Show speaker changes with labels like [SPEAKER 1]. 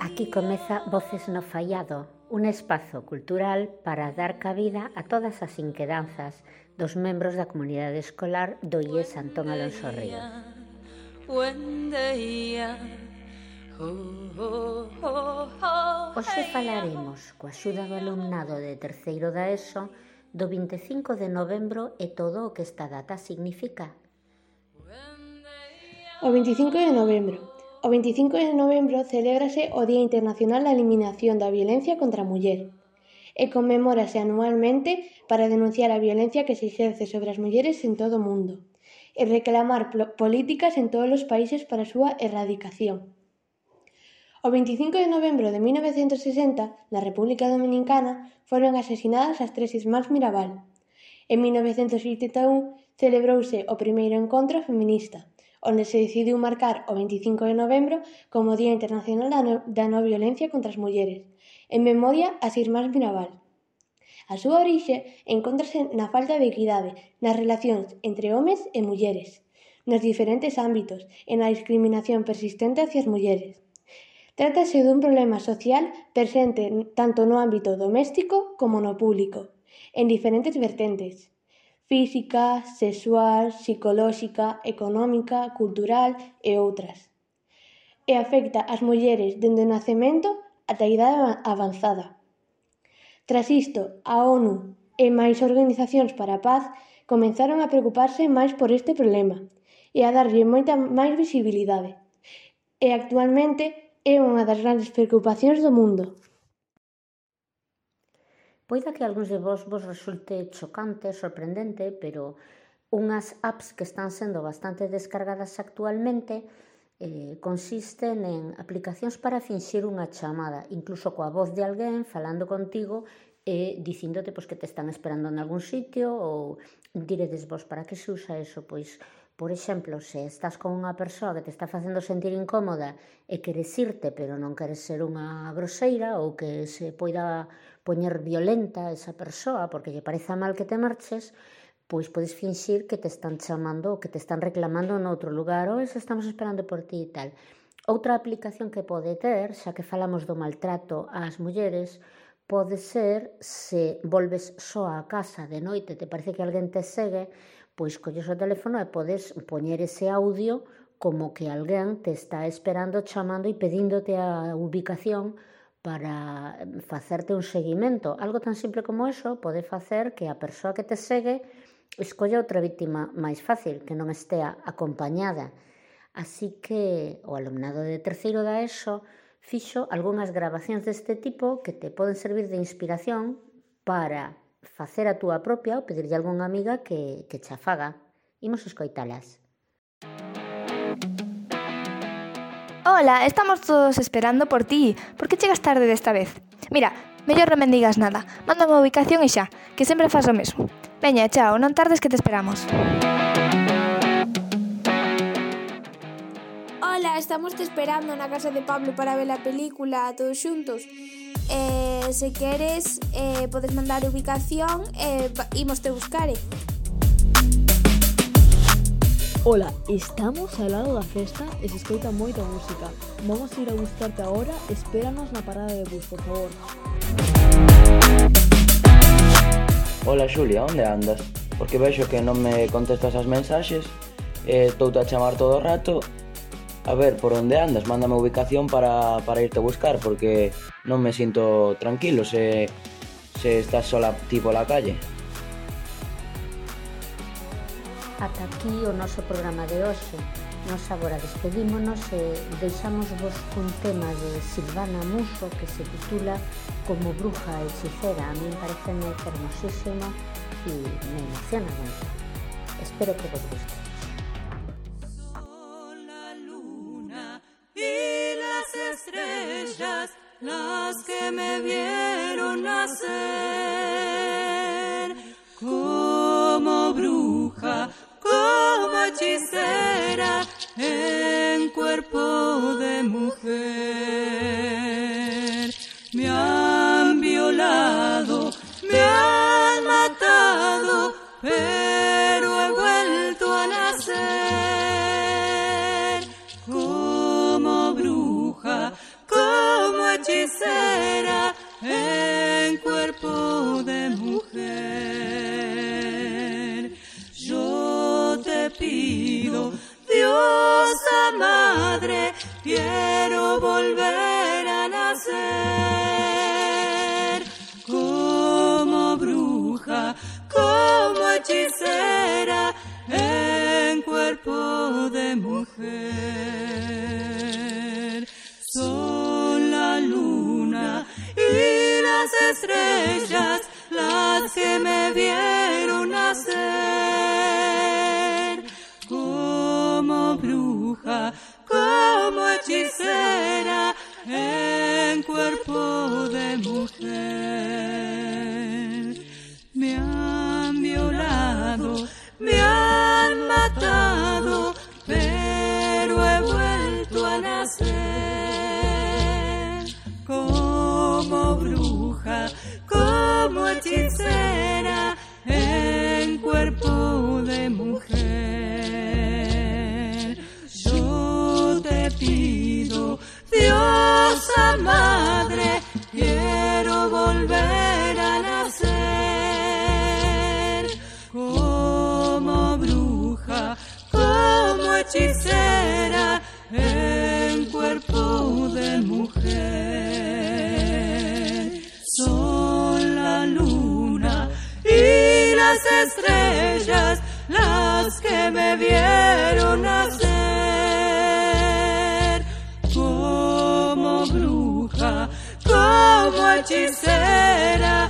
[SPEAKER 1] Aquí comeza Voces no Faiado, un espazo cultural para dar cabida a todas as inquedanzas dos membros da comunidade escolar do IES Antón Alonso Ríos. Hoxe falaremos, coa axuda do alumnado de terceiro da ESO, do 25 de novembro e todo o que esta data significa.
[SPEAKER 2] O 25 de novembro. O 25 de novembro celébrase o Día Internacional da Eliminación da Violencia contra a Muller e conmemórase anualmente para denunciar a violencia que se exerce sobre as mulleres en todo o mundo e reclamar políticas en todos os países para a súa erradicación. O 25 de novembro de 1960, na República Dominicana, foron asesinadas as tres irmás Mirabal. En 1981 celebrouse o primeiro encontro feminista, onde se decidiu marcar o 25 de novembro como Día Internacional da Non Violencia contra as Mulleres, en memoria ás irmás Mirabal. A súa orixe encóntrase na falta de equidade nas relacións entre homes e mulleres, nos diferentes ámbitos e na discriminación persistente hacia as mulleres. Trátase dun problema social presente tanto no ámbito doméstico como no público, en diferentes vertentes: física, sexual, psicolóxica, económica, cultural e outras. E afecta ás mulleres dende o nacemento ata a idade avanzada. Tras isto, a ONU e máis organizacións para a paz comenzaron a preocuparse máis por este problema e a darlle moita máis visibilidade. E actualmente é unha das grandes preocupacións do mundo.
[SPEAKER 1] Poida que a algúns de vos resulte chocante, sorprendente, pero unhas apps que están sendo bastante descargadas actualmente consisten en aplicacións para finxir unha chamada, incluso coa voz de alguén falando contigo e dicíndote que te están esperando en algún sitio. Ou diredes vos, para que se usa eso? Pois, por exemplo, se estás con unha persoa que te está facendo sentir incómoda e queres irte, pero non queres ser unha groseira ou que se poida poñer violenta esa persoa porque lle pareza mal que te marches, pois podes finxir que te están chamando ou que te están reclamando noutro lugar, ou se estamos esperando por ti e tal. Outra aplicación que pode ter, xa que falamos do maltrato ás mulleres, pode ser se volves só á casa de noite, te parece que alguén te segue, pois colles o teléfono e podes poñer ese audio como que alguén te está esperando, chamando e pedíndote a ubicación para facerte un seguimento. Algo tan simple como eso pode facer que a persoa que te segue escolla outra víctima máis fácil, que non estea acompañada. Así que o alumnado de terceiro da ESO fixo algunhas grabacións deste tipo que te poden servir de inspiración para facer a túa propia ou pedirlle a algunha amiga que cha faga. Imos escoitalas.
[SPEAKER 3] Hola, estamos todos esperando por ti. Por que chegas tarde desta vez? Mira, mellor non me digas nada. Mándame a ubicación e xa, que sempre faz o mesmo. Veña, chao, non tardes que te esperamos.
[SPEAKER 4] Hola, estamos te esperando na casa de Pablo para ver a película todos xuntos. Se queres, podes mandar ubicación e imos te buscar.
[SPEAKER 5] Hola, estamos ao lado da festa e se escoita moita música. Vamos ir a buscarte agora, espéranos na parada de bus, por favor.
[SPEAKER 6] Hola Xulia, onde andas? Porque vexo que non me contestas as mensaxes e estou a chamar todo o rato. A ver, por onde andas? Mándame a ubicación para irte a buscar, porque non me sinto tranquilo se estás sola ti pola calle.
[SPEAKER 1] Ata aquí o noso programa de hoxe. Nos agora despedímonos e deixamos vos cun tema de Silvana Muso que se titula Como bruja hechicera. A mí me parece hermosísimo e me emociona moito. Espero que vos guste.
[SPEAKER 7] Estrellas, las que me vieron nacer, como bruja, como hechicera, en cuerpo de mujer. Me han violado, me han matado, pero he vuelto a nacer como bruja, como hechicera en cuerpo de mujer. Yo te pido, Diosa Madre, quiero volver a nacer como bruja, como hechicera en cuerpo de mujer. Son la luna y las estrellas las que me vieron nacer como bruja, como hechicera en cuerpo de mujer. Me han violado, me han matado, pero he vuelto a nacer como bruja, como hechicera en cuerpo de mujer. Yo te pido, Diosa Madre, quiero volver a nacer como bruja, como hechicera en cuerpo de mujer. Son la luna y las estrellas las que me vieron nacer como bruja, como hechicera